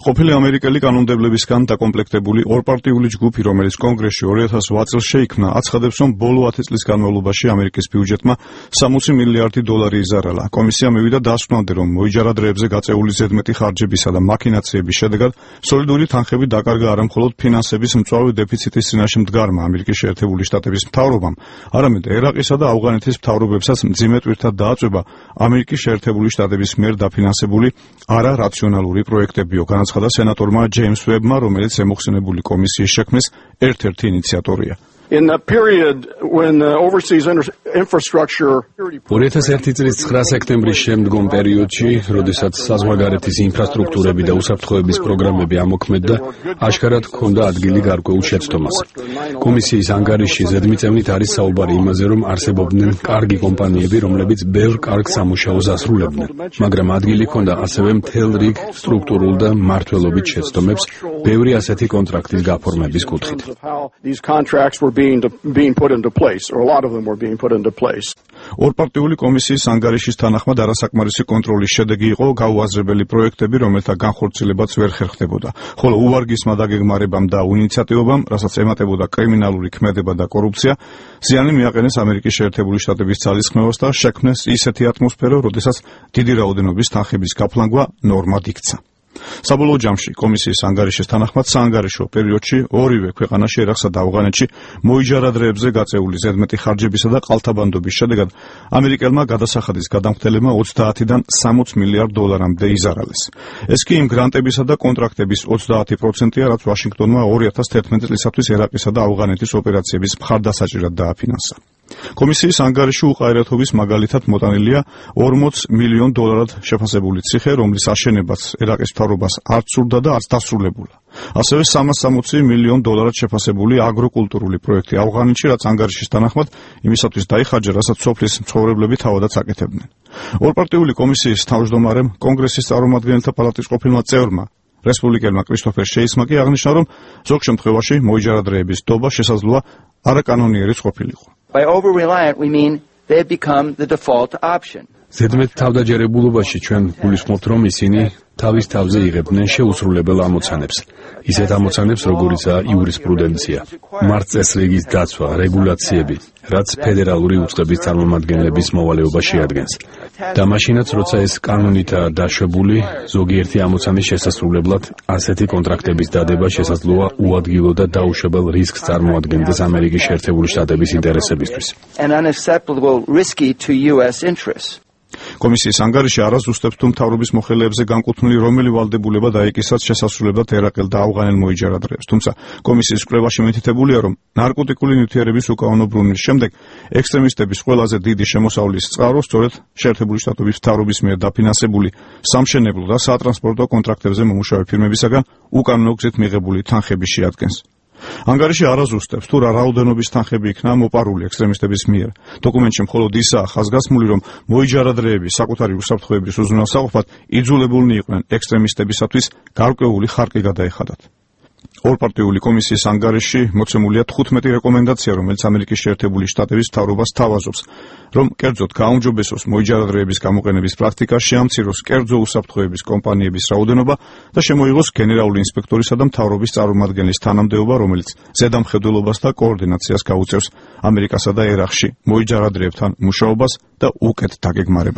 ყოფილი ამერიკელი კანონმდებლებისგან დაკომპლექტებული ორპარტიული ჯგუფი, რომელიც კონგრესში 2008 წელს შეიქმნა, აცხადებს, რომ ბოლო 10 წლის განმავლობაში ამერიკის ბიუჯეტმა 60 მილიარდი დოლარი იზარალა. კომისია მივიდა დასკვნამდე, რომ მოიჯარა დროებზე გაწეული ზედმეტი ხარჯებისა და მაქინაციების შედეგად სოლიდური თანხები დაკარგა არა მხოლოდ ფინანსების მწვავე დეფიციტის წინაშე მდგარმა ამერიკის შეერთებული შტატების მთავრობამ, არამედ ერაყისა და ავღანეთის მთავრობებსაც მძიმე ტვირთად დააწვება ამერიკის შეერთებული შტატების მიერ დაფინანსებული არარაციონალური პროექტებიო, განაცხადა სენატორმა ჯეიმს ვებმა, რომელიც ემოხსენებული კომისიის შექმნის ერთ-ერთი ინიციატორია. In the period when the overseas infrastructure 2001 წლის 9 სექტემბრის შემდგომ პერიოდში, როდესაც საზღვარგარეთის ინფრასტრუქტურები და უსაფრთხოების პროგრამები ამოქმედდა, აშკარად ჰქონდა ადგილი გარკვეულ შეცდომას. კომისიის ანგარიში ზედმიწევნით არის საუბარი იმაზე, რომ არსებობდნენ კარგი კომპანიები, რომლებიც ბევრ კარგ სამუშაოს ასრულებდნენ, მაგრამ ადგილი ჰქონდა ასევე მთელ რიგ სტრუქტურულ და მმართველობით შეცდომებს, ბევრი ასეთი კონტრაქტის გაფორმების კუთხით. being put into place, or a lot of them were being put into place. ორპარტიული კომისიის ანგარიშის თანახმად არასაკმარისი კონტროლის შედეგი იყო გაუაზრებელი პროექტები, რომელთა განხორციელებაც ვერ ხერხდებოდა, ხოლო უვარგისმა დაგეგმარებამ და ინიციატივებამ, რასაც ემატებოდა კრიმინალური ქმედება და კორუფცია, ზიანი მიაყენეს ამერიკის შეერთებული შტატების ძალისხმევას და შექმნეს ისეთი ატმოსფერო, როდესაც დიდი რაოდენობის თანხების გაფლანგვა ნორმად იქცა. საბოლოო ჯამში კომისიის ანგარიშის თანახმად საანგარიშო პერიოდში ორივე ქვეყანაში, ერაყსა და ავღანეთში მოიჯარა დროებზე გაწეული ზედმეტი ხარჯებისა და ყალთაბანდობის შედეგად ამერიკელმა გადასახადის გადამხდელებმა 30-დან 60 მილიარდ დოლარამდე იზარალეს. ეს კი იმ გრანტებისა და კონტრაქტების 30%-ია, რაც ვაშინგტონმა 2011 წლისათვის ერაყისა და ავღანეთის ოპერაციების მხარდასაჭერად დააფინანსა. კომისიის ანგარიში უყარეთობის მაგალითად მოტანილია 40 მილიონ დოლარად შეფასებული ციხე, რომლის აშენებაც ერაყის მთავრობას არც სურდა და არც დასრულებულა. ასევე 360 მილიონ დოლარად შეფასებული აგროკულტურული პროექტი ავღანეთში, რაც ანგარიშის თანახმად იმისათვის დაიხარჯა, რასაც სოფლის მცხოვრებლები თავადაც აკეთებდნენ. ორპარტიული კომისიის თავმჯდომარემ, კონგრესის წარმომადგენელთა პალატის ყოფილმა წევრმა რესპუბლიკელმა კრისტოფერ შეისმა კი აღნიშნა, რომ ზოგ შემთხვევაში მოიჯარა დროების დობა შესაძლოა არაკანონიერიც ყოფილიყო. By over-reliant, we mean they become the default option. ზედმეტ თავდაჯერებულობაში ჩვენ გულისხმობთ, რომ ისინი თავის თავზე იღებდნენ შეუსრულებელ ამოცანებს. ისეთ ამოცანებს, როგორიცაა იურისპრუდენცია, მართლწესრიგის დაცვა, რეგულაციები, რაც ფედერალური უწყების წარმომადგენლების მოვალეობა შეადგენს. და მაშინაც, როცა ეს კანონითაა დაშვებული, ზოგიერთი ამოცანის შესასრულებლად ასეთი კონტრაქტების დადება შესაძლოა უადგილო და დაუშვებელ რისკს წარმოადგენდეს ამერიკის შეერთებული შტატების ინტერესებისთვის. And unacceptable risky to US interests. კომისიის ანგარიში არაზუსტებს თუ მთავრობის მოხელეებზე განკუთვნილი რომელი ვალდებულება დაიკისრათ შესასრულებლად ერაყელ და ავღანელ მოიჯარა დროებს. თუმცა კომისიის კვლევაში მითითებულია, რომ ნარკოტიკული ნივთიერების უკანონო ბრუნვის შემდეგ ექსტრემისტების ყველაზე დიდი შემოსავლის წყარო სწორედ შეერთებული შტატების მთავრობის მიერ დაფინანსებული სამშენებლო და სატრანსპორტო კონტრაქტებზე მომუშავე ფირმებისაგან უკანონო გზით მიღებული თანხები შეადგენს. ანგარიში არაზუსტებს თუ რა რაოდენობის თანხები იქნა მოპარული ექსტრემისტების მიერ. დოკუმენტში მხოლოდ ისაა ხაზგასმული, რომ მოიჯარა დროები საკუთარი უსაფრთხოების უზრუნველსაყოფად იძულებულნი იყვნენ ექსტრემისტებისათვის გარკვეული ხარკი გადაეხადათ. ორპარტიული კომისიის ანგარიში მოცემულია 15 რეკომენდაცია, რომელიც ამერიკის შეერთებული შტატების მთავრობას თავაზობს, რომ კერძოდ გააუმჯობესოს მოიჯარა დროების გამოყენების პრაქტიკა, შეამციროს კერძო უსაფრთხოების კომპანიების რაოდენობა და შემოიღოს გენერალური ინსპექტორისა და მთავრობის წარმომადგენლის თანამდებობა, რომელიც ზედამხედველობას და კოორდინაციას გაუწევს ამერიკასა და ერაყში მოიჯარა დროებთან მუშაობას და უკეთ დაგეგმარებას.